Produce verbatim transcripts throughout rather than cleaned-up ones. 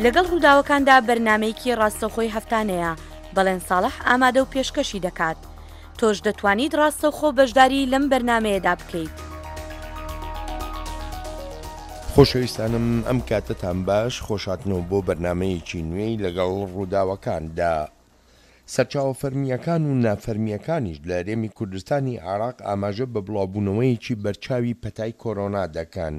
لەگەڵ ڕووداوەکاندا بەرنامەیەکی ڕاستەوخۆی هەفتانەیە، بەڵێن ساڵح ئامادە و پێشکەشی دەکات. تۆش دەتوانیت ڕاستەوخۆ بەشداری لەم بەرنامەیەدا بکەیت. خۆشەویستانم ئەم کاتەتان باش، خۆشهاتنەوە بۆ بەرنامەیەکی نوێی لەگەڵ ڕووداوەکاندا. سەرچاوە فەرمییەکان و نافەرمییەکانیش لە هەرێمی کوردستانی عێراق ئاماژە بە بڵاوبوونەوەیەکی بەرچاوی پەتای کۆرۆنا دەکەن.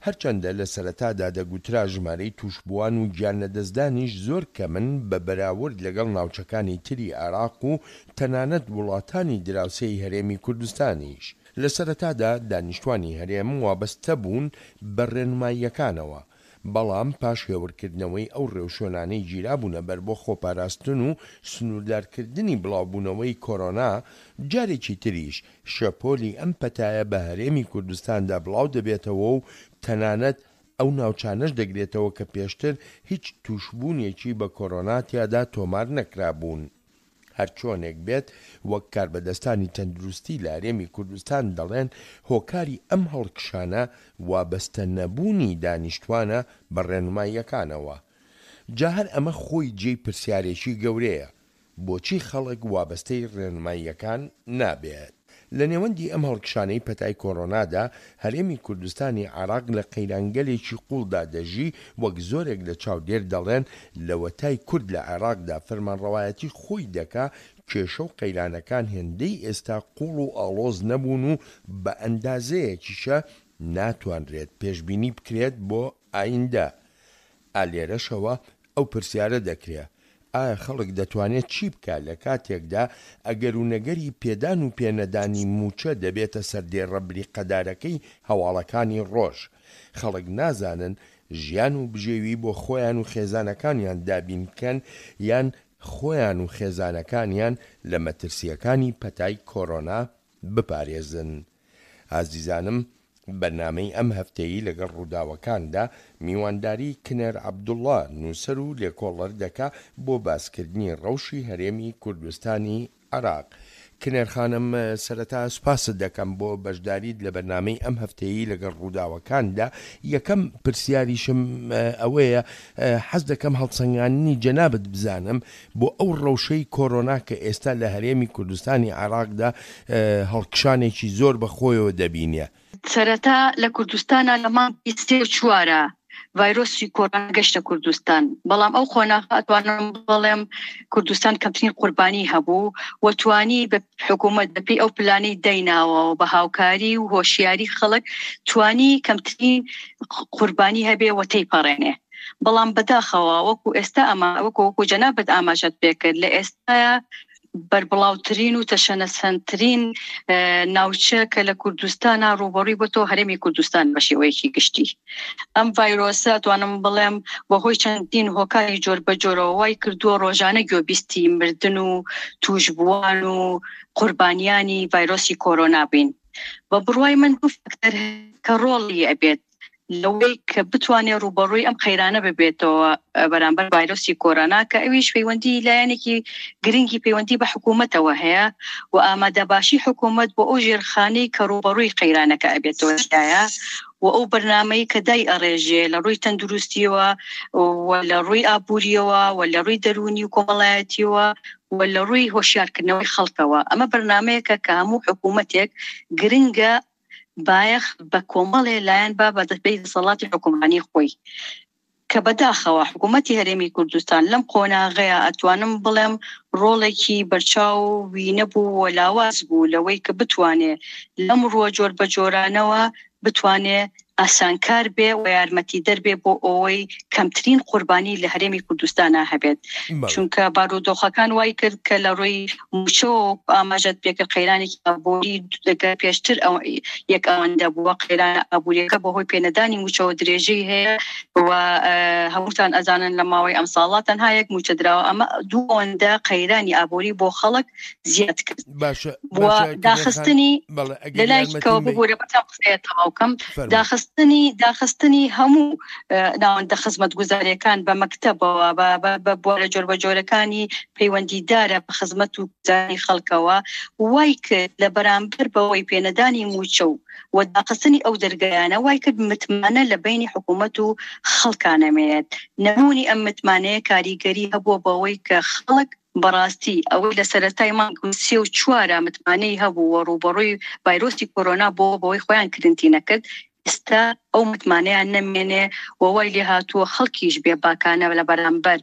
هەرچەندە لە سەرەتادا دەگوترا ژمارەی تووشبووان و گیانلەدەستدانیش زۆر کەمن بە بەراورد لەگەڵ ناوچەکانی تری عێراق و تەنانەت وڵاتانی دراوسێی هەرێمی کوردستانیش. لە سەرەتادا دانیشتوانی هەرێم وابەستە بوون بە ڕێنماییەکانەوە، بەڵام پاش هێورکردنەوەی ئەو ڕێوشوێنانەی گیرابوونە بەر بۆ خۆپاراستن و سنووردارکردنی بڵاوبوونەوەی کۆرۆنا، جارێکی تریش شەپۆلی ئەم پەتایە بە هەرێمی کوردستاندا بڵاودەبێتەوە و تەنانەت ئەو ناوچانەش دەگرێتەوە کە پێشتر هیچ تووشبوونێکی بە کۆرۆنا تیادا تۆمار نەکرابوون. هەرچۆنێک بێت، وەک کاربەدەستانی تەندروستی لە هەرێمی کوردستان دەڵێن، هۆکاری ئەم هەڵکشانە وابەستە نەبوونی دانیشتوانە بە ڕێنماییەکانەوە. جا هەر ئەمە خۆی جێی پرسیارێکی گەورەیە، بۆچی خەڵک وابەستەی ڕێنماییەکان نابێت؟ لە نێوەندی ئەم هەڵکشانەی پەتای کۆرۆنادا، هەرێمی کوردستانی عێراق لە قەیرانگەلێکی قووڵدا دەژی، وەک زۆرێک لە چاودێر دەڵێن لەوەتای کورد لە عێراقدا فەرمانڕەوایەتی خۆی دەکا کێشە و قەیرانەکان هێندەی ئێستا قووڵ و ئاڵۆز نەبوون و بە ئەندازەیەکیشە ناتوانرێت پێشبینی بکرێت بۆ ئایندە. ئا لێرەشەوە ئەو پرسیارە دەکرێ ئایا خەڵک دەتوانێت چی بکا لە کاتێکدا ئەگەر و نەگەری پێدان و پێنەدانی مووچە دەبێتە سەردێڕە بریقەدارەکەی هەواڵەکانی ڕۆژ؟ خەڵک نازانن ژیان و بژێوی بۆ خۆیان و خێزانەکانیان دابین بکەن یان خۆیان و خێزانەکانیان لە مەترسییەکانی پەتای کۆرۆنا بپارێزن. ئازیزانم بەرنامەی ئەم هەفتەیی لەگەڵ ڕووداوەکاندا میوانداری کنێر عەبدوڵڵا نووسەر و لێکۆڵەر دەکا بۆ باسکردنی ڕەوشی هەرێمی کوردستانی عێراق. کنێر خانم سەرەتا سوپاست دەکەم بۆ بەشداریت لە بەرنامەی ئەم هەفتەیی لەگەڵ ڕووداوەکاندا. یەکەم پرسیاریشم ئەوەیە حەز دەکەم هەڵسەنگاندنی جەنابت بزانم بۆ ئەو ڕەوشەی کۆرۆنا کە ئێستا لە هەرێمی کوردستانی عێراقدا هەڵکشانێکی زۆر بە خۆیەوە دەبینێ. سەرەتا لە کوردستانە لە مانگی سێ و چوارە ڤایرۆسی کۆرۆنا گەشتە کوردستان، بەڵام ئەو قۆناغە ئەتوانم بڵێم کوردستان کەمترین قوربانی هەبوو و توانی بە حکوومەت بەپێی ئەو پلانەی دایناوە و بە هاوکاری و هۆشیاری خەڵک توانی کەمترین قوربانی هەبێ و تێیپەڕێنێ. بەڵام بەداخەوە وەکو ئێستا ئەمە وەکو وەکو جەنابت ئاماژەت پێکرد لە ئێستایا بەربڵاوترین و تەشەنەسەندترین ناوچە کە لە کوردستانە ڕووبەڕووی بۆتەوە هەرێمی کوردستان بە شێوەیەکی گشتی. ئەم ڤایرۆسە توانم بڵێم بەهۆی چەندین هۆکاری جۆر بە جۆرەوە وای کردووە ڕۆژانە گوێبیستی مردن و تووشبووان و قوربانیانی ڤایرۆسی کۆرۆنا بین. بە بڕوای من دوو فاکتەر کە ڕۆڵی ئەبێت لەوەی کە بتوانێت ڕووبەڕووی ئەم قەیرانە ببێتەوە بەرامبەر ڤایرۆسی کۆرۆنا، کە ئەویش پەیوەندی لایەنێکی گرنگی پەیوەندی بە حکوومەتەوە هەیە و ئامادەباشی حکوومەت بۆ ئەو ژێرخانەی کە ڕووبەڕووی قەیرانەکە ئەبێتەوە و ئەو بەرنامەی کە دای ئەڕێژێ لە ڕووی تەندروستیەوە و لە ڕووی ئابووریەوە و لە ڕووی دەروونی و کۆمەڵایەتیەوە و لە ڕووی هۆشیارکردنەوەی خەڵکەوە. ئەمە بەرنامەیەکە کە هەموو حکوومەتێک گرنگە بایەخ بە کۆمەڵێ لایەن با بە دەستپێی دەسەڵاتی حکومڕانی خۆی، کە بەداخەوە حکوومەتی هەرێمی کوردستان لەم قۆناغەیە ئەتوانم بڵێم ڕۆڵێکی بەرچاو وی نەبوو و لاواز بوو لەوەی کە بتوانێ لەم ڕووە جۆر بە جۆرانەوە بتوانێ ئاسانکار بێ و یارمەتیدەر بێ بۆ ئەوەی کەمترین قوربانی لە هەرێمی کوردستانە هەبێت. چونکە بارودۆخەکان وای کرد کە لە ڕووی مووچەوە ئاماژەت پێکرد قەیرانێکی ئابووری پێشتر یەک ئەوەندە بووە، قەیرانە ئابووریەکە بەهۆی پێنەدانی مووچەوە درێژەی هەیە و هەمووتان ئەزانن لە ماوەی ئەم ساڵە تەنها یەک مووچە دراوە. ئەمە دوو ئەوەندە قەیرانی ئابووری بۆ خەڵک زیاد کرد. باشە داخستنی لەلایەکەوە ببوورە بەتام قسەیە تەواو کەم، داخستنی داخستنی داخستنی هەموو ناوەندە خزمەتگوزاریەکان بە مەکتەبەوە بە بوارە جۆربەجۆرەکانی پەیوەندیدارە بە خزمەت و گوزاری خەڵکەوە، وای کرد لە بەرامبەر بەوەی پێنەدانی موچە و و داخستنی ئەو دەرگایانە وای کرد متمانە لە بینی حکوومەت و خەڵکا نەمێنێت. نەبوونی ئەم متمانەیە کاریگەری هەبووە بەوەی کە خەڵک بەڕاستی ئەوەی لە سەرەتای مانگ سێ و چوارە متمانەی هەبوو و ڕووبەڕووی ڤایرۆسی کۆرۆنا بۆ بەوەی خۆیان کرنتی نەکرد، ئێستا ئەو متمانەیان نەمێنێ و وای لێ هاتووە خەڵکیش بێباکانە لە بەرامبەر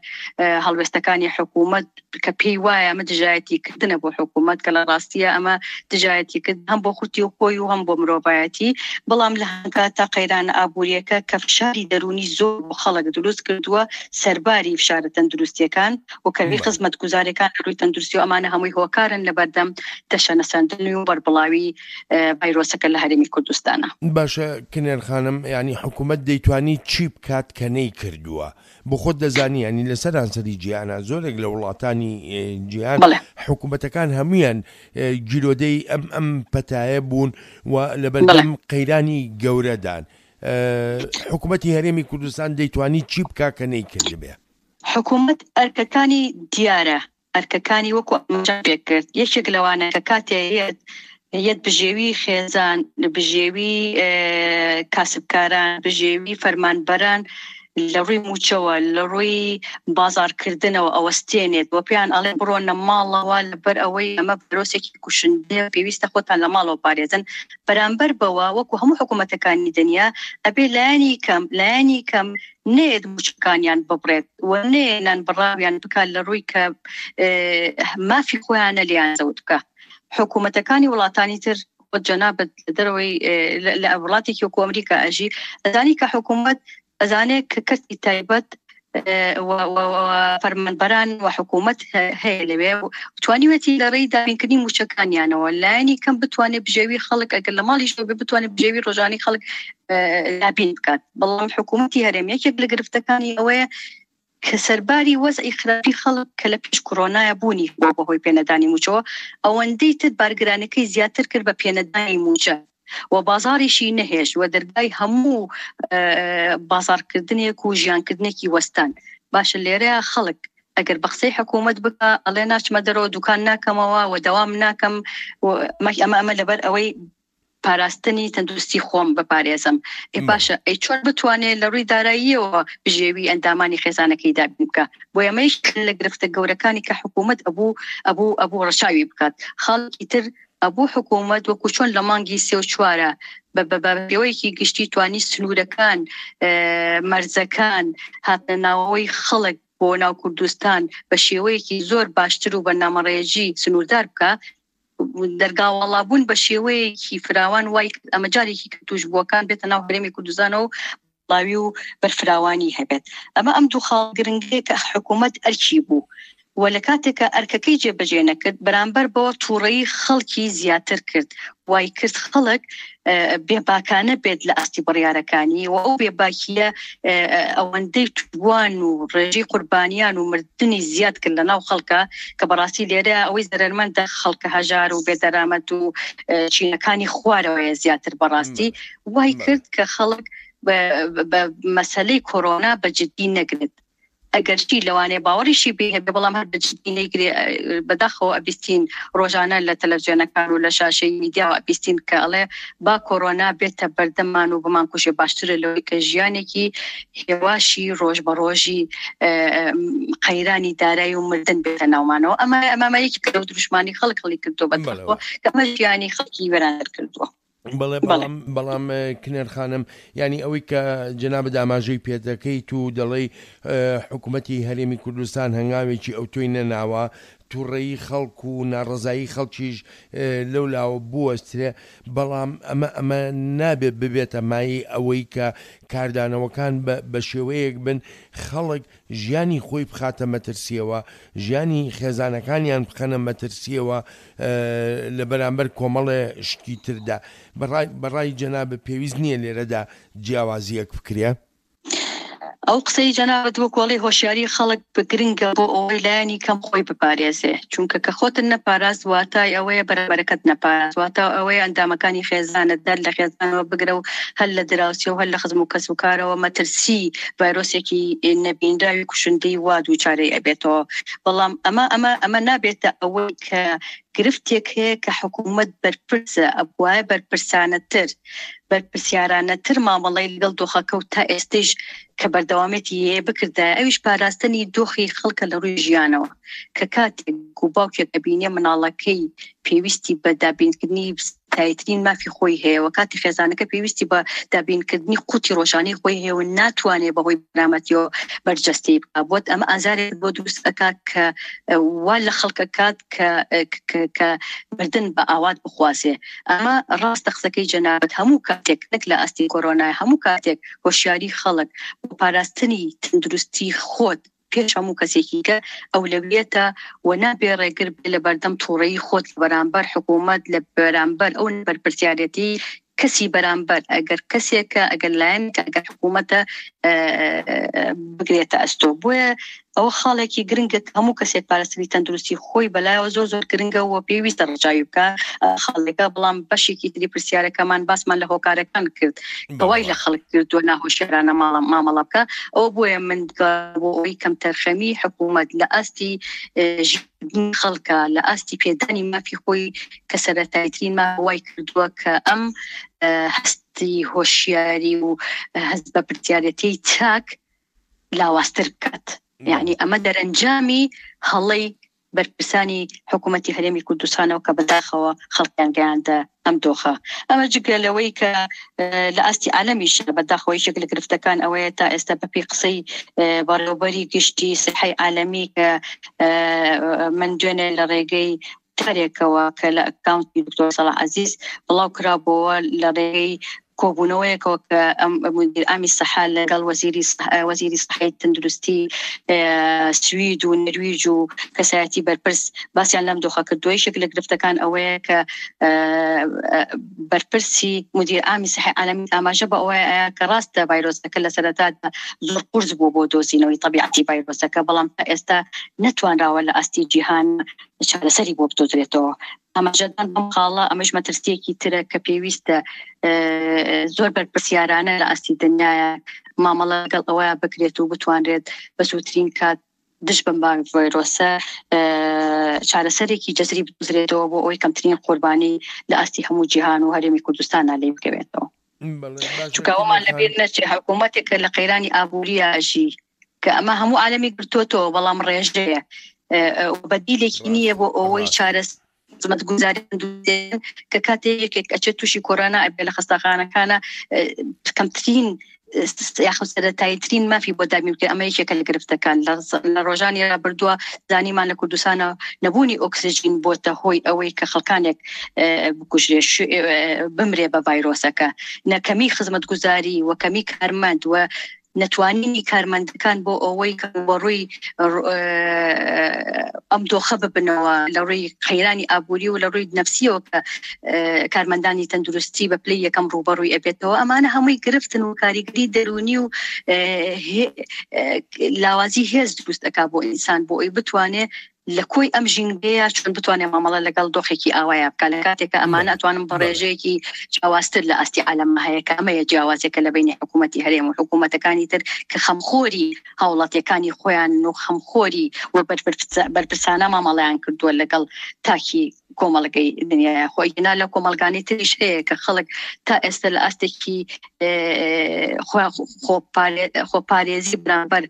هەڵوێستەکانی حکوومەت کە پێی وایە ئەمە دژایەتیکردنە بۆ حکوومەت، کە لە ڕاستیە ئەمە دژایەتیکرد هەم بۆ خوتی و خۆی و هەم بۆ مرۆڤایەتی. بەڵام لە هەنکاتە قەیرانە ئابووریەکە کە فشاری دەروونی زۆر بۆ خەڵک دروست کردووە، سەرباری فشارە تەندروستیەکان و کەمی خزمەتگوزاریەکان لە ڕووی تەندروستی و ئەمانە هەمووی هۆکارن لە بەردەم تەشەنەسەندن و بەربڵاوی ڤایرۆسەکە لە هەرێمی کوردستانە. باشە کنێر خانم، یانی حکوومەت دەیتوانی چی بکات کە نەیکردووە؟ بۆ خۆت دەزانی یانی لە سەرانسەری جیهانە زۆرێک لە وڵاتانی جیهان حکوومەتەکان هەمویان گیرۆدەی ئەم ئەم پەتایە بوون و لەبەردەم قەیرانی گەورەدان. حکوومەتی هەرێمی کوردستان دەیتوانی چی بکا کە نەیکردبێ؟ حکوومەت ئەرکەکانی دیارە، ئەرکەکانی وەکو ئاماژەم پێکرد، یەکێک لەوانە کە کاتێ یەت یەت بژێوی خێزان، بژێوی کاسبکاران، بژێوی فەرمانبەران لە ڕووی موچەوە، لە ڕووی بازارکردنەوە ئەوەستێنێت و پێیان ئەڵێ بڕۆنە ماڵەوە لەبەر ئەوەی ئەمە ڤایرۆسێکی کوشندەیە، پێویستە خۆتان لە ماڵەوە پارێزن. بەرامبەر بەوە وەکو هەموو حکوومەتەکانی دنیا ئەبێ لایەنی کەم لایەنی کەم نێت موچەکانیان ببڕێت و نێنان بڕاویان بکات لە ڕووی کە مافی خۆیانە لێیان زەوت بکە. حکوومەتەکانی وڵاتانی تر خۆت جەنابت لە دەرەوەی لە وڵاتێکی وەکو ئەمریکا ئەژی ئەزانی کە حکوومەت ئەزانێت کە کەرتی تایبەت فەرمانبەران و حکوومەت هەیە لەوێ توانیوێتی لە ڕێی دابینکردنی موچەکانیانەوە لایەنی کەم بتوانێت بژێوی خەڵک ئەگەر لە ماڵیشەوە بێ بتوانێت بژێوی ڕۆژانی خەڵک دابین بکات. بەڵام حکوومەتی هەرێم یەکێک لە گرفتەکانی ئەوەیە کە سەرباری وەزعی خراپی خەڵک کە لە پێش کۆرۆنایە بوونی بۆ بەهۆی پێنەدانی موچەوە، ئەوەندەی تر بارگرانەکەی زیاتر کرد بە پێنەدانی موچە و بازاڕیشی نەهێشت و دەرگای هەموو بازارکردنێک و ژیانکردنێکی وەستان. باشە لێرە خەڵک ئەگەر بە قسەی حکوومەت بکە ئەڵێ ناچمە دەرەوە، دوکان ناکەمەوە و دەوام ناکەم، ئەمە ئەمە لەبەر ئەوەی پاراستنی تەندروستی خۆم بپارێزم. ئێ باشە ئەی چۆن بتوانێت لە ڕووی داراییەوە بژێوی ئەندامانی خێزانەکەی دابین بکە؟ بۆ ئەمەیش لە گرفتە گەورەکانی کە حکوومەت ئەبوو ئەبوو ئەبوو ڕەچاوی بکات. خەڵکی تر ئەبوو حکوومەت وەکو چۆن لە مانگی سێ و چوارە بە پێوەیەکی گشتی توانی سنوورەکان، مەرزەکان، هاتنە ناوەوەی خەڵک بۆ ناو کوردستان بە شێوەیەکی زۆر باشتر و بەرنامەڕێژی سنووردار بکە. دەرگاوەڵابوون بە شێوەیەکی فراوان وای ئەمە جارێکی کە توشبووەکان بێتە ناو هەرێمی کوردستانەوە و بڵاوی و بەرفراوانی هەبێت. ئەمە ئەم دوو خاڵ گرنگەیە کە حکوومەت ئەرکی بوو و لە کاتێکە ئەرکەکەی جێبەجێ نەکرد، بەرامبەر بەوە تووڕەیی خەڵکی زیاتر کرد، وای کرد خەڵک بێباکانە بێت لە ئاستی بڕیارەکانی و ئەو بێباکیە ئەوەندەی تووان و ڕێژەی قوربانیان و مردنی زیاد کرد لە ناو خەڵکە کە بەڕاستی لێرە ئەوەی زەرەرمەندە خەڵکە هەژار و بێدەرامەت و چینەکانی خوارەوەیە زیاتر. بەڕاستی وای کرد کە خەڵک بە مەسەلەی کۆرۆنا بە جدی نەگرێت. ئەگەرچی لەوانەیە باوەڕیشی پێ هەبێ، بەڵام هەر بە جدی نەیگرێ. بەداخەوە ئەبیستین ڕۆژانە لە تەلەڤیزیۆنەکان و لە شاشەی میدیاوە ئەبیستین کە ئەڵێ با کۆرۆنا بێتە بەردەمان و بمانکوژێ، باشترە لەوەی کە ژیانێکی هێواشی ڕۆژ بە ڕۆژی قەیرانی دارایی و مردن بێتە ناومانەوە. ئەمە ئەمە یەکێک لەو دروشمانی خەڵک هەڵی کردووە بەداخەوە کە ئەمە ژیانی خەڵکی وێرانتر کردووە. بەڵێ، بەڵام بەڵام کنێر خانم، یعنی ئەوەی کە جەنابت ئاماژەی پێدەکەیت و دەڵێی حکوومەتی هەرێمی کوردستان هەنگاوێکی ئەوتۆی نەناوە، تووڕەیی خەڵک و ناڕەزایی خەڵکیش لەو لاوە بوەسترێ، بەڵام ئەمە ئەمە نابێت ببێتە مایەی ئەوەی کە کاردانەوەکان بە شێوەیەک بن خەڵک ژیانی خۆی بخاتە مەترسیەوە، ژیانی خێزانەکانیان بخەنە مەترسیەوە لە بەرامبەر کۆمەڵێ شتی تردا. بەڕای جەنابت پێویست نییە لێرەدا جیاوازیەک بکرێ؟ ئەو قسەی جەنابت وەکۆڵی هۆشیاری خەڵک گرنگە بۆ ئەوەی لایەنی کەم خۆی بپارێزێ، چونکە کە خۆتن نەپاراست واتای ئەوەیە بەرەبەرەکەت نەپاراست، واتا ئەوەیە ئەندامەکانی خێزانت هەر لە خێزانەوە بگرە و هەر لە دراوسێ و هەر لە خزم و کەس و کارەوە مەترسی ڤایرۆسێکی نەبینراوی کوشندەی وا دووچارەی ئەبێتەوە. بەڵام ئەمە ئەمە ئەمە نابێتە ئەوەی کە گرفتێک هەیە کە حکوومەت بەرپرسە، ئەبوایە بەرپرسانەتر بەرپرسیارانەتر مامەڵەی لەگەڵ دۆخەکە و تا ئێستەیش کە بەردەوامێتی هەیە بکردایە، ئەویش پاراستنی دۆخی خەڵکە لە ڕووی ژیانەوە، کە کاتێک و باوکێک ئەبینێ مناڵەکەی پێویستی بە دابینکردنی تایترین مافی خۆی هەیە و کاتی خێزانەکە پێویستی بە دابینکردنی قوتی ڕۆژانەی خۆی هەیە و ناتوانێت بەهۆی بەرامەتیەوە بەرجەستەی بکات، بۆت ئەمە ئازارێک بۆ دروست ئەکات کە وا لە خەڵکە کات کە کە مردن بە ئاوات بخوازێ. ئەمە ڕاستە قسەکەی جەنابەت، هەموو کاتێک نەک لە ئاستی کۆرۆنای، هەموو کاتێک هۆشیاری خەڵک بۆ پاراستنی تەندروستی خۆت پێش هەموو کەسێکی کە ئەولەویەتە و نابێ ڕێگر بێ لە بەردەم تووڕەیی خۆت لە بەرامبەر حکوومەت، لە بەرامبەر ئەو بەرپرسیارەتی کەسی بەرامبەر، ئەگەر کەسێکە، ئەگەر لایەنێکە، ئەگەر حکوومەتە بگرێتە ئەستۆ. بۆیە ئەوە خاڵێکی گرنگە کە هەموو کەسێک پاراستنی تەندروستی خۆی بەلایەوە زۆر زۆر گرنگە و پێویستە ڕەچاوی بکە خاڵێکە. بەڵام بەشێکی تری پرسیارەکەمان باسمان لە هۆکارەکان کرد کە وای لە خەڵک کردووە ناهۆشیارانە مامەڵە بکە. ئەوە بۆیە من بۆ ئەوەی کەمتەرخەمی حکوومەت لە ئاستی خەڵکە، لە ئاستی پێدانی مافی خۆی کە سەرەتاییترین ماف وای کردووە کە ئەم هەستی هۆشیاری و هەست بە پرسیارەتی چاک لاوازتر بکات. یعنی ئەمە دەرەنجامی هەڵەی بەرپرسانی حکوومەتی هەرێمی کوردستانەوە کە بەداخەوە خەڵکیان گەیاندە ئەم دۆخە. ئەمە جگە لەوەی کە لە ئاستی عالەمیش بەداخەوە یەکێک لە گرفتەکان ئەوەیە تا ئێستا بەپێی قسەی بەڕێوەبەری گشتی سیحەی عالەمی کە من دوێنێ لە ڕێگەی تارێکەوە کە لە ئەکاونتی دکتۆر سەڵاح عەزیز بڵاو کرابووەوە لە ڕێگەی کۆبوونەوەیەکەوە کە مدیر عامی سەحا لەگەڵ وەزیری وەزیری سەحەی تەندروستی سوید و نەرویج و کەسایەتی بەرپرس باسیان لەم دۆخە کردووە. یەکێک لە گرفتەکان ئەوەیە کە بەرپرسی مدیر عامی سەحەی عالەمی ئاماژە بە ئەوەیە کە ڕاستە ڤایرۆسەکە لە سەرەتادا زۆر قورس بوو بۆ دۆزینەوەی تەبیعەتی ڤایرۆسەکە، بەڵام تا ئێستا نەتوانراوە لە ئاستی جیهان چارەسەری بۆ بدۆزرێتەوە. ئاماژەدان بەم خاڵە ئەمەش مەترسیەکی ترە کە پێویستە زۆر بەرپرسیارانە لە ئاستی دنیاە مامەڵە لەگەڵ ئەوەیە بکرێت و بتوانرێت بە زووترین کات دژ بەم ڤایرۆسە چارەسەرێکی جەزری بدۆزرێتەوە بۆ ئەوەی کەمترین قوربانی لە ئاستی هەموو جیهان و هەرێمی کوردستانە لێ بکەوێتەوە. چونکە ئەومان لەبیر نەچێ حکوومەتێک لە قەیرانی ئابووریە ژی کە ئەمە هەموو عالەمی گرتووەتەوە، بەڵام ڕێژەیە بەدیلێکی نییە بۆ ئەوەی چارەسەر خزمەتگوزاری کە کاتێک یەکێک ئەچێت تووشی کۆرۆنا ئەبێ لە خەستەخانەکانە کەمترین یاخود سەرەتاییترین مافی بۆ دابین بکرێت. ئەمە یەکێکە لە گرفتەکان. لە ڕۆژانی ڕابردووە زانیمان لە کوردستانە نەبوونی ئۆکسجین بۆتە هۆی ئەوەی کە خەڵکانێک بکوژرێ بمرێ بە ڤایرۆسەکە. نەکەمی خزمەتگوزاری و کەمی کارمەند و نەتوانینی کارمەندەکان بۆ ئەوەی کە بەڕووی ئەم دۆخە ببنەوە لە ڕووی قەیرانی ئابووری و لە ڕووی نەفسیەوە کە کارمەندانی تەندروستی بە پلەی یەکەم ڕووبەڕووی ئەبێتەوە. ئەمانە هەمووی گرفتن و کاریگەری دەروونی و لاوازی هێز دروست ئەکا بۆ ئینسان بۆ ئەوەی بتوانێت لە کۆی ئەم ژینگەیە چۆن بتوانێت مامەڵە لەگەڵ دۆخێکی ئاوایە بکات. لە کاتێکە ئەمانە ئەتوانم بە ڕێژەیەکی جیاوازتر لە ئاستی عالەمە هەیە کە ئەمەیە جیاوازێکە لە بینی حکوومەتی هەرێم و حکوومەتەکانی تر کە خەمخۆری هاوڵاتیەکانی خۆیان و خەمخۆری و بەرپرسانە مامەڵەیان کردووە لەگەڵ تاکی کۆمەڵگەی دنیای خۆی. نا لە کۆمەڵگانی تریش هەیە کە خەڵک تا ئێستا لە ئاستێکی خۆپارێزی بەرامبەر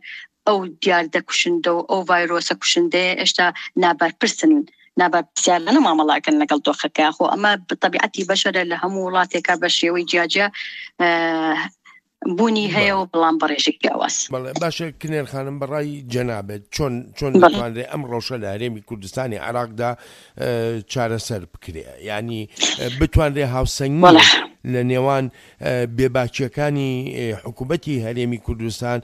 ئەو دیاردە کوشندە و ئەو ڤایرۆسە کوشندەیە ئێشتا نابەرپرسن، نابەرپرسیارانە مامەڵاکەن لەگەڵ دۆخەکە. خۆ ئەمە تەبیعەتی بەشەرە لە هەموو وڵاتێکە بە شێوەی جیاجیا بوونی هەیە و بەڵام بەڕێژێک جیاواز. بەڵێ باشە کنێر خانم، بەڕای جەنابێت چۆن چۆن دەتوانرێت ئەم ڕەوشە لە هەرێمی کوردستانی عێراقدا چارەسەر بکرێ؟ یعنی بتوانرێ هاوسەنگی لە نێوان بێباکیەکانی حکوومەتی هەرێمی کوردستان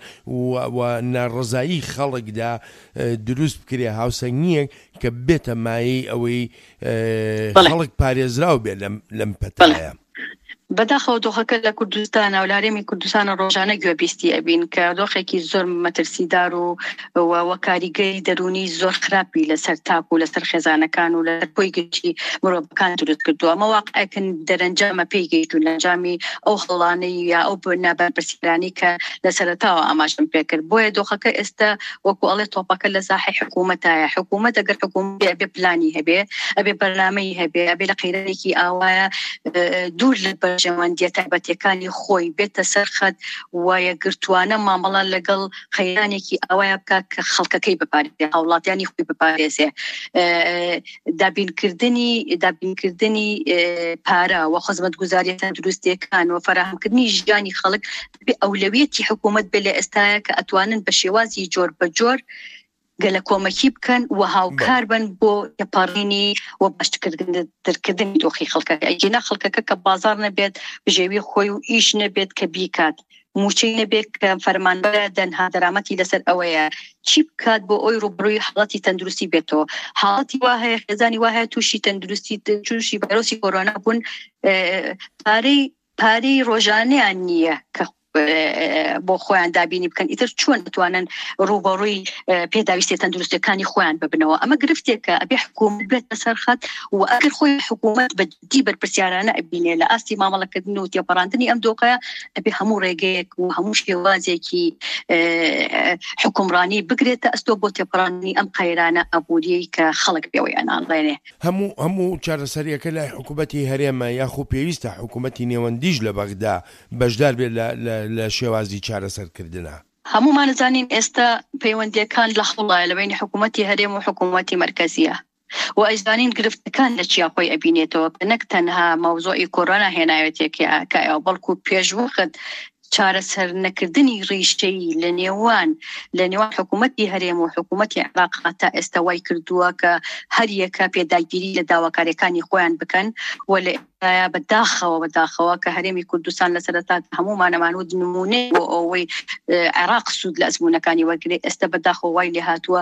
و ناڕەزایی خەڵکدا دروست بکرێ، هاوسەنگیەک کە بێتە مایەی ئەوەی خەڵک پارێزراو بێ لەم پەتایە. بەداخەوە دۆخەکە لە کوردستانە و لە هەرێمی کوردستانە ڕۆژانە گوێبیستی ئەبین کە دۆخێکی زۆر مەترسیدار و وە کاریگەری دەرونی زۆر خراپی لەسەر تاک و لەسەر خێزانەکان و لەسەر کۆی گشتی مرۆڤەکان دروست کردووە. ئەمە واقعێکن دەرەنجامە پێی گەیشتوون لە ئەنجامی ئەو هەڵانەی یا ئەو نابەرپرسیارانی کە لە سەرەتاوە ئاماژەم پێکرد. بۆیە دۆخەکە ئێستا وەکو ئەڵێ تۆپەکە لە ساحەی حکوومەتایە. حکوومەت ئەگەر حکوومەت بێ ئەبێ پلانی هەبێ، ئەبێ بەرنامەی هەبێ، ئەبێ لە قەیرانێکی ئاوایە دوور لە بەرژەوەندیە تایبەتیەکانی خۆی بێتە سەر خەت و یەکگرتوانە مامەڵە لەگەڵ قەیرانێکی ئاوایە بکات کە خەڵکەکەی بپارێزێ، هاوڵاتیانی خۆی بپارێزێ. دابینکردنی دابینکردنی پارە و خزمەتگوزاریە تەندروستیەکان و فەراهەمکردنی ژیانی خەڵک بێ ئەولەویەتی حکوومەت بێ لە ئێستاە کە ئەتوانن بە شێوازی جۆر بە جۆر گەلە کۆمەکی بکەن و هاوکار بن بۆ تێپەڕینی و باشترکردنی دۆخی خەڵکەکە. ئەگینا خەڵکەکە کە بازار نەبێت، بژێوی خۆی و ئیش نەبێت کە بیکات، موچەی نەبێت کە فەرمانبەرە دەنها دەرامەتی لەسەر ئەوەیە چی بکات بۆ ئەوی ڕووبەڕووی حاڵەتی تەندروستی بێتەوە. حاڵەتی وا هەیە، خێزانی وا هەیە تووشی تەندروستی تووشی ڤایرۆسی کۆرۆنا بوون، پارەی پارەی ڕۆژانەیان نییە کە بۆ خۆیان دابینی بکەن، ئیتر چۆن بتوانن ڕووبەڕووی پێداویستیە تەندروستیەکانی خۆیان ببنەوە. ئەمە گرفتێکە ئەبێ حکوومەت بێتە سەر خەت و ئەگەر خۆی حکوومەت بە جدی بەرپرسیارانە ئەبینێ لە ئاستی مامەڵەکردن و تێپەڕاندنی ئەم دۆخەیە، ئەبێ هەموو ڕێگەیەک و هەموو شێوازێکی حکومڕانی بگرێتە ئەستۆ بۆ تێپەڕاندنی ئەم قەیرانە ئابووریەی کە خەڵک پێوەی ئەناڵێنێ. هەموو هەموو چارەسەریەکە لای حکوومەتی هەرێمە یاخو پێویستە حکوومەتی نێوەندیش لە بەغدا بەشدار بێت لە لە شێوازی چارەسەرکردنە؟ هەمومان زانین ئێستا پەیوەندیەکان لە هەوڵایە لە بینی حکوومەتی هەرێم و حکوومەتی مەرکەزیە و ئەیزانین گرفتەکان لە چیا خۆی ئەبینێتەوە کە نەک تەنها مەوزوعی کۆرۆنا هێناوێتێکەوە، بەڵکو پێشوەخت چارەسەر نەکردنی ڕیشەیی لە نێوان لە نێوان حکوومەتی هەرێم و حکوومەتی عێراق تا ئێستا وای کردووە کە هەر یەکە پێداگیری لە داواکاریەکانی خۆیان بکەن و لە بەداخەوە بەداخەوە کە هەرێمی کوردستان لە سەرەتا هەمومانەمان وت نمونەی بۆ ئەوەی عێراق سوود لە ئەزموونەکانی وەرگرێ، ئێستا بەداخەوە وای لێهاتووە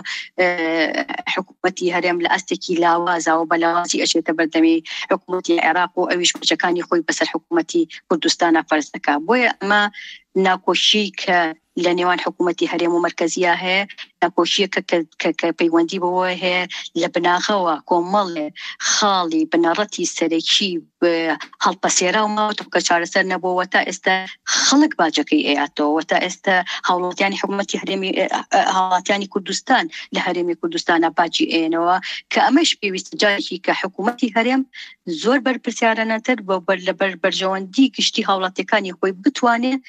حکوومەتی هەرێم لە ئاستێکی لاوازەوە بە لاوازی ئەچێتە بەردەمی حکوومەتی عێراق و ئەویش بەچەکانی خۆی بەسەر حکوومەتی کوردستانە فەرز دەکات. بۆیە ئەمە ناکۆشی کە لە نێوان حکوومەتی هەرێم و مەرکەزیە هەیە، ناکۆشیەکە کە پەیوەندی بەوە هەیە لە بناغەوە کۆمەڵێ خاڵی بنەڕەتی سەرەکی هەڵپەسێرا و ماوەتەوە کە چارەسەر نەبووەوە تا ئێستا خەڵک باجەکەی ئەیاتەوە، تا ئێستا هاوڵاتیانی حکوومەتی هەرێمی هاوڵاتیانی کوردستان لە هەرێمی کوردستانە باجی ئێنەوە کە ئەمەش پێویستە جارێکی کە حکوومەتی هەرێم زۆر بەرپرسیارانەتر بۆ بەر لەبەر بەرژەوەندی گشتی هاوڵاتیەکانی خۆی بتوانێت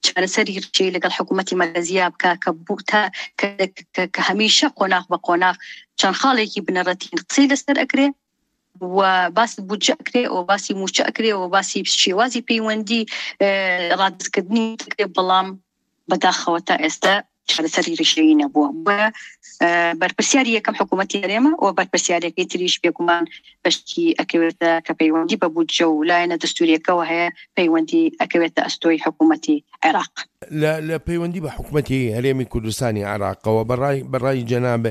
چارەسەری ڕیشەیی لەگەڵ حکوومەتی مەرکەزیە بکە کە بوو تا کە هەمیشە قۆناغ بە قۆناغ چەند خاڵێکی بنەڕەتی قسەی لەسەر ئەکرێ و باسی بودجە ئەکرێ و باسی موچە ئەکرێ و باسی شێوازی پەیوەندی ڕادەستکردنی ئەکرێ، بەڵام بەداخەوە تا ئێستا چارەسەری ڕیشەیی نەبووە. بۆیە بەرپرسیاری یەکەم حکوومەتی هەرێمە و بەرپرسیارەکەی تریش بێگومان بەشکی ئەکەوێتە کە پەیوەندی بە بودجە و لایەنە دەستوریەکەوە هەیە، پەیوەندی ئەکەوێتە ئەستۆی حکوومەتی عێراق. لە پەیوەندی بە حکوومەتی هەرێمی کوردستانی عێراقەوە بەڕای بەڕای جەناب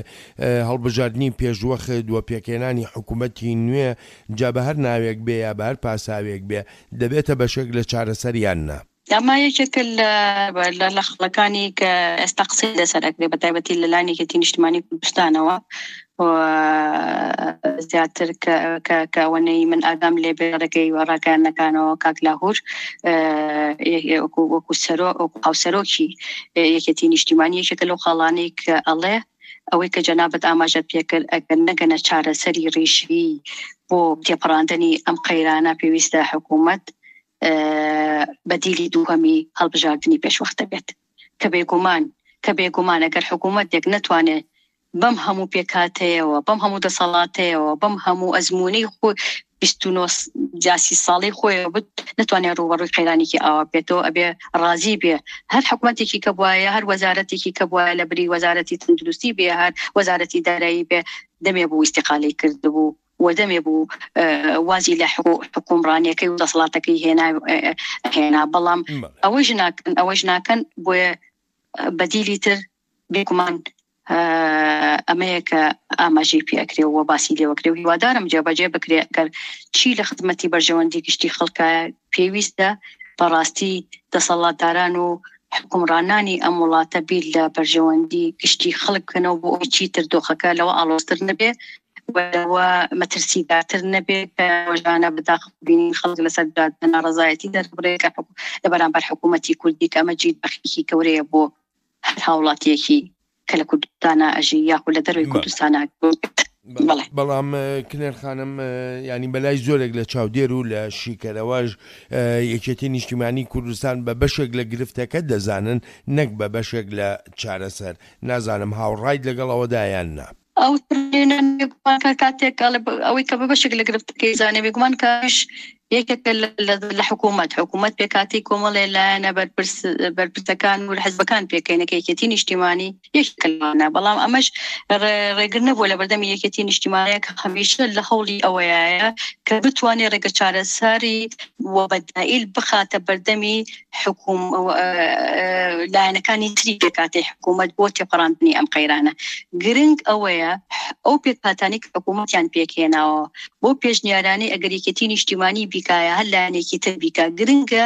هەڵبژاردنی پێشوەخت و پێکهێنانی حکوومەتی نوێ جا بە هەر ناوێک بێ یا بە هەر پاساوێک بێ دەبێتە بەشێک لە چارەسەریان نا؟ ئەمە یەکێکە لە لە خەڵەکانی کە ئێستا قسەی لەسەر ئەکرێ بە تایبەتی لە لایەن یەکێتی نیشتمانی کوردستانەوە و زیاتر کە ئەوەنەی من ئاگام لێ بێ ڕێگەی و ڕاگەیاندنەکانەوە کاک لاهور وەکو وەکو سەرۆک وەکو هاوسەرۆکی یەکێتی نیشتیمانی یەکێکە لەو خاڵانەی کە ئەڵێ ئەوەی کە جەنابت ئاماژەت پێکرد ئەگەر نەگەنە چارەسەری ڕیشەیی بۆ تێپەڕاندنی ئەم قەیرانە پێویستە حکوومەت بەدیلی دووهەمی هەڵبژاردنی پێشوەختە بێت کە بێگومان کە بێگومان ئەگەر حکوومەتێک نەتوانێت بەم هەموو پێکهاتەیەوە، بەم هەموو دەسەڵاتەیەوە، بەم هەموو ئەزموونەی خۆی بیست و نۆ جاسی ساڵی خۆیەوە بت نەتوانێت ڕووبەڕووی قەیرانێکی ئاوا بێتەوە، ئەبێ ڕازی بێ هەر حکوومەتێکی کە بوایە، هەر وەزارەتێکی کە بوایە لە بری وەزارەتی تەندروستی بێ، هەر وەزارەتی دارایی بێ، دەمێ بوو ئیستیقالەی کردبوو و دەمێ بوو وازی لە حکومڕانیەکەی و دەسەڵاتەکەی هێنا هێنا، بەڵام ئەوەش ناکەن ئەوەش ناکەن. بۆیە بەدیلی تر بێگومان ئەمەیە کە ئاماژەی پێ ئەکرێ و باسی لێوەکرێ و هیوادارم جێبەجێ بکرێ ئەگەر چی لە خزمەتی بەرژەوەندی گشتی خەڵکە پێویستە بەڕاستی دەسەڵاتداران و حکومڕانانی ئەم وڵاتە بیر لە بەرژەوەندی گشتی خەڵک بکەنەوە بۆ ئەوەی چیتر دۆخەکە لەوە ئاڵۆزتر نەبێ و لەوە مەترسیدارتر نەبێ کە ڕۆژانە بەداخ بینین خەڵک لەسەر جادە ناڕەزایەتی دەربڕێ کە لە بەرامبەر حکوومەتی کوردی کە ئەمە جێی داخێکی گەورەیە بۆ هەر هاوڵاتیەکی کە لە کوردستانە ئەژی یاخود لە دەرەوەی کوردستانە. بەڵام کنێر خانم ینی بەلای زۆرێک لە چاودێر و لە شیکەرەوەش یەکێتی نیشتیمانی کوردستان بە بەشێک لە گرفتەکە دەزانن نەک بە بەشێک لە چارەسەر. نازانم هاوڕایت لەگەڵ ئەوەدا یان نا. ئەو کاتێک ئەوەی کە بە بەشێک لە گرفتەکەی زانێ بێگومان کاش یەکێکە لە حکوومەت، حکوومەت پێکاتی کۆمەڵێ لایەنە بەرپرسەکان و حزبەکان پێکەینەکە یەکێتی نیشتیمانی یەکێکە لەوانە. بەڵام ئەمەش ڕێگر نەبووە لە بەردەمی یەکێتی نیشتیمانەیە کە هەمیشە لە هەوڵی ئەوەیە کە بتوانێت ڕێگە چارەسەری و بەدائیل بخاتە بەردەمی حکوم لایەنەکانی تری پێکاتی حکوومەت بۆ تێپەڕاندنی ئەم قەیرانە. گرنگ ئەوەیە ئەو پێکهاتانەی کە حکوومەتیان پێکهێناوە بۆ پێشنیارانەی ئەگەر یەکێتی نیشتیمانی بیکایە هەر لایەنێکی تر بیکا، گرنگە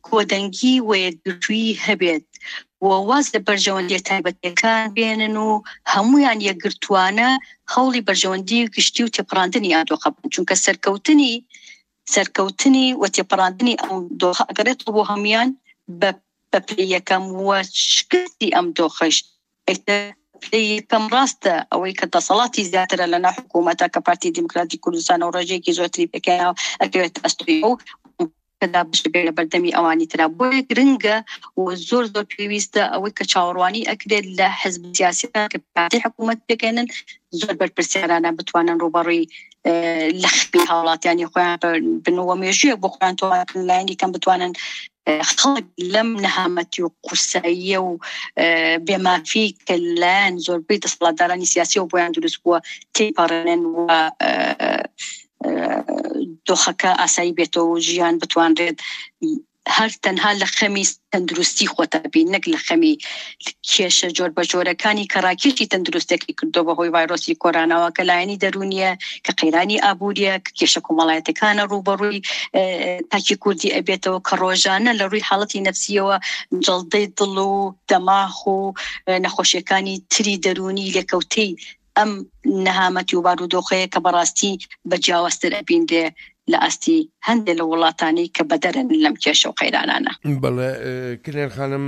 کۆدەنگی و یەکگرتوویی هەبێت و واز لە بەرژەوەندیە تایبەتیەکان بێنن و هەمویان یەکگرتوانە هەوڵی بەرژەوەندی گشتی و تێپەڕاندنی ئەم دۆخە بن، چونکە سەرکەوتنی سەرکەوتنی و تێپەڕاندنی ئەم دۆخە ئەگەڕێتەوە بۆ هەمویان بە پلەی یەکەم و شکستی ئەم دۆخەش پلەی یەکەم. ڕاستە ئەوەی کە دەسەڵاتی زیاترە لە ناو حکوومەتە کە پارتی دیموکراتی کوردستان و ڕێژەیەکی زۆرتری پێکهێناوە ئەکەوێتە ئەستۆی ئەو کەدا بشبێ لە بەردەمی ئەوانی ترا. بۆیە گرنگە و زۆر زۆر پێویستە ئەوەی کە چاوەڕوانی ئەکرێت لە حزب سیاسیەکان کە پارتی حکوومەت پێکهێنن زۆر بەرپرسیارانە بتوانن ڕووبەڕووی لە خەمی هاوڵاتیانی خۆیان بن و مێژوویەک بۆ خۆیان تۆمارکردن لایەنی کەم بتوانن خەڵک لەم نەهامەتی و قورساییە و بێمافی کە لایەن زۆربەی دەسەڵاتدارانی سیاسیەوە بۆیان دروست بووە تێپەڕێنن و دۆخەکە ئاسایی بێتەوە و ژیان بتوانرێت هەر تەنها لە خەمی تەندروستی خۆتە بین نەک لە خەمی کێشە جۆر بە جۆرەکانی کە ڕاکێشی تەندروستێکی کردو بەهۆی ڤایرۆسی کۆرانەوە کە لایەنی دەروونیە، کە قەیرانی ئابووریە، کە کێشە کۆمەڵایەتەکانە ڕووبەڕووی تاکی کوردی ئەبێتەوە، کە ڕۆژانە لە ڕووی حاڵەتی نەفسیەوە جەڵدەی دڵ و دەماخ و نەخۆشیەکانی تری دەروونی لێکەوتەی ئەم نەهامەتی و بارودۆخەیە کە بەڕاستی بە جیاوازتر ئەبینرێ لە ئاستی هەندێک لە وڵاتانی کە بەدەرن لەم کێشە و قەیرانانە. بەڵێ کنێر خانم،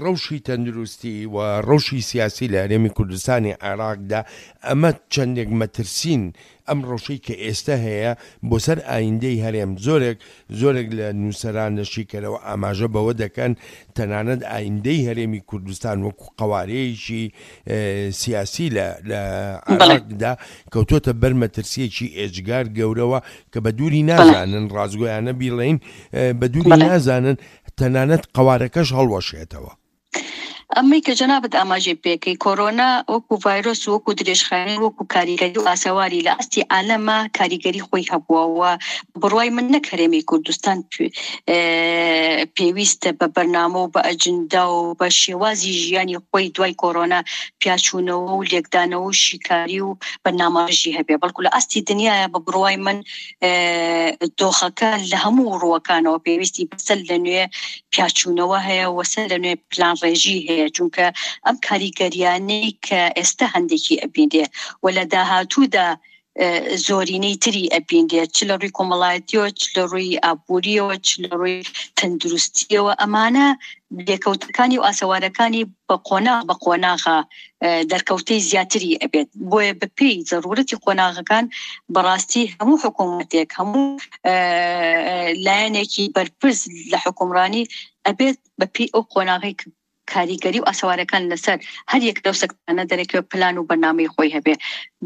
ڕەوشی تەندروستی و ڕەوشی سیاسی لە هەرێمی کوردستانی عێراقدا ئەمە چەندێک مەترسین ئەم ڕەوشەی کە ئێستا هەیە بۆ سەر ئایندەی هەرێم؟ زۆرێک زۆرێک لە نووسەران لە شیکەرەوە ئاماژە بەوە دەکەن تەنانەت ئایندەی هەرێمی کوردستان وەکو قەوارەیەکی سیاسی لە لە عێراقدا کەوتۆتە بەر مەترسیەکی ئێجگار گەورەوە کە بە دووری نازانن، ڕاستگۆیانە بیڵێین بە دووری نازانن تەنانەت قەوارەکەش هەڵوەشێتەوە. ئەمەی کە جەنابت ئاماژەی پێکەی کۆرۆنا وەکو ڤایرۆس و وەکو درێژخایەنی وەکو کاریگەری و ئاسەواری لە ئاستی عالەمە کاریگەری خۆی هەبووە و بڕوای من نەک هەرێمی کوردستان پێویستە بە بەرنامە و بە ئەجندا و بە شێوازی ژیانی خۆی دوای کۆرۆنا پیاچوونەوە و لێکدانەوە و شیکاری و بەرنامەڕێژی هەبێ، بەڵکو لە ئاستی دنیاە بە بڕوای من دۆخەکە لە هەموو ڕووەکانەوە پێویستی بە سەر لە نوێ پیاچوونەوە هەیە و سەر لە نوێ پلانڕێژی هەیە، چونکە ئەم کاریگەریانەی کە ئێستا هەندێکی ئەبینرێ و لە داهاتوودا زۆرینەی تری ئەبینرێت، چ لە ڕووی کۆمەڵایەتیەوە، چ لە ڕووی ئابووریەوە، چ لە ڕووی تەندروستیەوە، ئەمانە لێکەوتەکانی و ئاسەوارەکانی بە قۆناغ بە قۆناغە دەرکەوتەی زیاتری ئەبێت. بۆیە بەپێی زەرورەتی قۆناغەکان بەڕاستی هەموو حکوومەتێک، هەموو لایەنێکی بەرپرس لە حکومڕانی ئەبێت بەپێی ئەو قۆناغی کاریگەری و ئاسەوارەکان لەسەر هەر یەک لەو سەکتانە دەرەکەوێت پلان و بەرنامەی خۆی هەبێ.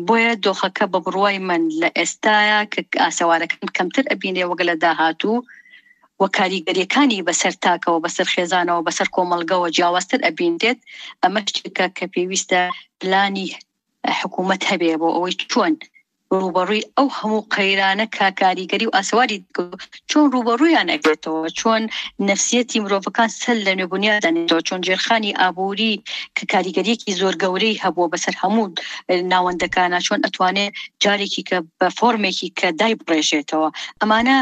بۆیە دۆخەکە بە بڕوای من لە ئێستاە کە ئاسەوارەکان کەمتر ئەبینێ وەگە لە داهاتوو و کاریگەریەکانی بەسەر تاکەوە، بەسەر خێزانەوە، بەسەر کۆمەڵگەوە جیاوازتر ئەبینرێت. ئەمە شتێکە کە پێویستە پلانی حکوومەت هەبێ بۆ ئەوەی چۆن ڕووبەڕووی ئەو هەموو قەیرانە کە کاریگەری و ئاسەواری چۆن ڕووبەڕوویان ئەبێتەوە، چۆن نەفسیەتی مرۆڤەکان سەر لە نوێ بنیاد دەنێتەوە، چۆن ژێرخانی ئابووری کە کاریگەریەکی زۆر گەورەی هەبووە بەسەر هەموو ناوەندەکانە چۆن ئەتوانێت جارێکی کە بە فۆرمێکی کە دای بڕێژێتەوە. ئەمانە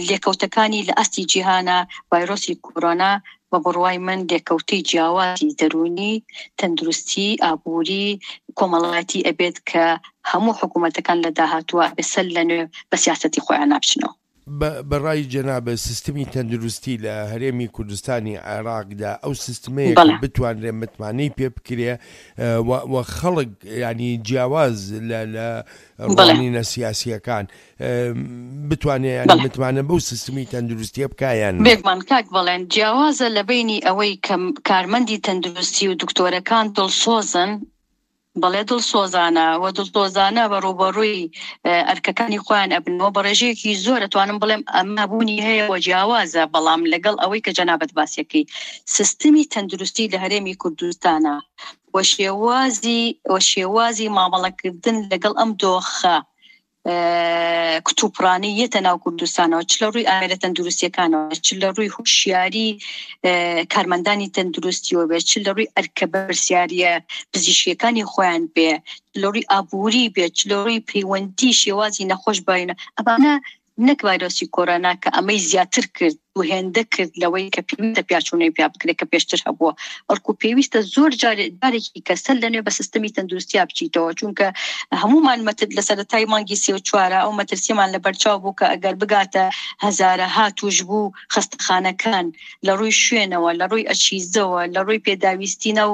لێکەوتەکانی لە ئاستی جیهانە ڤایرۆسی کۆرۆنا بە بڕوای من لێکەوتەی جیاوازی دەروونی، تەندروستی، ئابووری، کۆمەڵایەتی ئەبێت کە هەموو حکوومەتەکان لە داهاتووە ئەبێ سەر لە نوێ بە سیاسەتی خۆیان نابچنەوە. بە ڕای جەنابت سیستمی تەندروستی لە هەرێمی کوردستانی عێراقدا ئەو سیستمەیە کە بتوانرێ متمانەی پێ بکرێ و خەڵک یانی جیاواز لە لە ڕوانینە سیاسییەکان بتوانێ یانی متمانە بەو سیستمی تەندروستیە بکا یان نا؟ بێگومان کاک بەڵێن جیاوازە لە بەینی ئەوەی کە کارمەندی تەندروستی و دکتۆرەکان دڵسۆزن بەڵێ دڵسۆزانە و دڵسۆزانە بە ڕووبەڕووی ئەرکەکانی خۆیان ئەبنەوە بە ڕێژەیەکی زۆر ئەتوانم بڵێم ئەمە بوونی هەیە و جیاوازە بەڵام لەگەڵ ئەوەی کە جەنابت باسیەکەی سیستمی تەندروستی لە هەرێمی کوردستانە و شێوازی و شێوازی مامەڵەکردن لەگەڵ ئەم دۆخە کتوپڕانەی یەتە ناو کوردستانەوە چ لە ڕووی ئامێرە تەندروستیەکانەوە چ لە ڕووی هوشیاری کارمەندانی تەندروستیەوە بێت چ لە ڕووی ئەرکە بەرپرسیاریە پزیشکیەکانی خۆیان بێ لە ڕووی ئابووری بێت چ لە ڕووی پەیوەندی شێوازی نەخۆش باینە ئەمانە نەک ڤایرۆسی کۆرۆنا کە ئەمەی زیاتر کرد و هێندە کرد لەوەی کە پێویستە پیاچوونەی پیا بکرێت کە پێشتر هەبووە، بەڵکو پێویستە زۆر جارێکی کە سەر لەنوێ بە سیستمی تەندروستیا بچیتەوە، چونکە هەمومان مەتر لە سەرەتای مانگی سێ و چوارە ئەو مەترسیمان لەبەرچاو بوو کە ئەگەر بگاتە هەزارەها تووشبوو خەستەخانەکان لە ڕووی شوێنەوە، لە ڕووی ئەچیزەوە، لە ڕووی پێداویستی ناو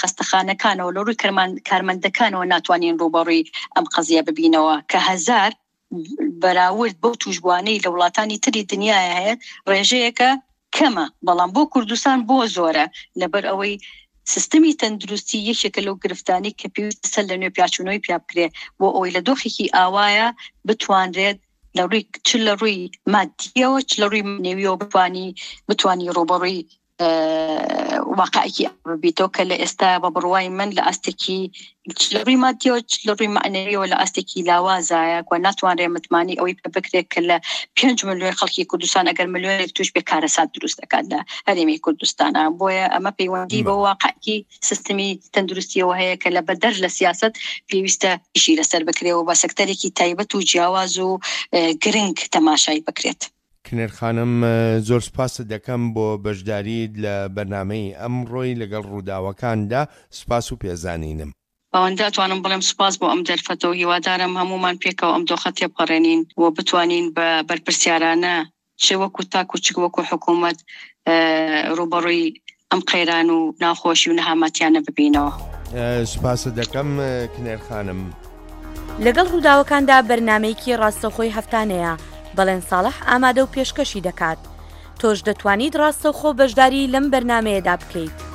خەستەخانەکانەوە، لە ڕووی کارمەندەکانەوە ناتوانین ڕووبەڕووی ئەم قەزیە ببینەوە کە هەزار بەراورد بەو توشبووانەی لە وڵاتانی تری دنیاە هەیە ڕێژەیەکە کەمە، بەڵام بۆ کوردستان بۆ زۆرە، لەبەر ئەوەی سیستمی تەندروستی یەکێکە لەو گرفتانەی کە پێویستە سەر لە نوێ پیاچوونەوەی پیا بکرێ بۆ ئەوەی لە دۆخێکی ئاوایە بتوانرێت لە ڕووی چ لە ڕووی مادیەوە چ لە ڕووی مەعنەویەوە بتوانی بتوانی ڕووبەڕووی واقعێکی ببیتەوە کە لە ئێستا بە بڕوای من لە ئاستێکی چ لە ڕووی مادیەوە چ لە ڕووی مەعنەویەوە لە ئاستێکی لاوازایە و ناتوانرێت متمانەی ئەوەی پێ بکرێت کە لە پێنج ملیۆن خەڵکی کوردستان ئەگەر ملیۆنێک تووش بێ کارەسات دروست دەکات لە هەرێمی کوردستانە. بۆیە ئەمە پەیوەندی بە واقعێکی سیستمی تەندروستیەوە هەیە کە لە بەدەر لە سیاسەت پێویستە ئیشی لەسەر بکرێ و بە سەکتەرێکی تایبەت و جیاواز و گرنگ تەماشای بکرێت. کنێر خانم زۆر سوپاست دەکەم بۆ بەشداریت لە بەرنامەی ئەمڕۆی لەگەڵ ڕووداوەکاندا، سوپاس و پێزانینم. ئەوەندە ئەتوانم بڵێم سوپاس بۆ ئەم دەرفەتە و هیوادارم هەموومان پێکەوە ئەم دۆخە تێپەڕێنین و بتوانین بە بەرپرسیارانە چ وەکو تاک و چ وەکو حکوومەت ڕووبەڕووی ئەم قەیران و ناخۆشی و نەهامەتیانە ببینەوە. سوپاست دەکەم کنێر خانم. لەگەڵ ڕووداوەکاندا بەرنامەیەکی ڕاستەوخۆی هەفتانەیە، بەڵێن ساڵح ئامادە و پێشکەشی دەکات. تۆش دەتوانیت ڕاستەوخۆ بەشداری لەم بەرنامەیەدا بکەیت.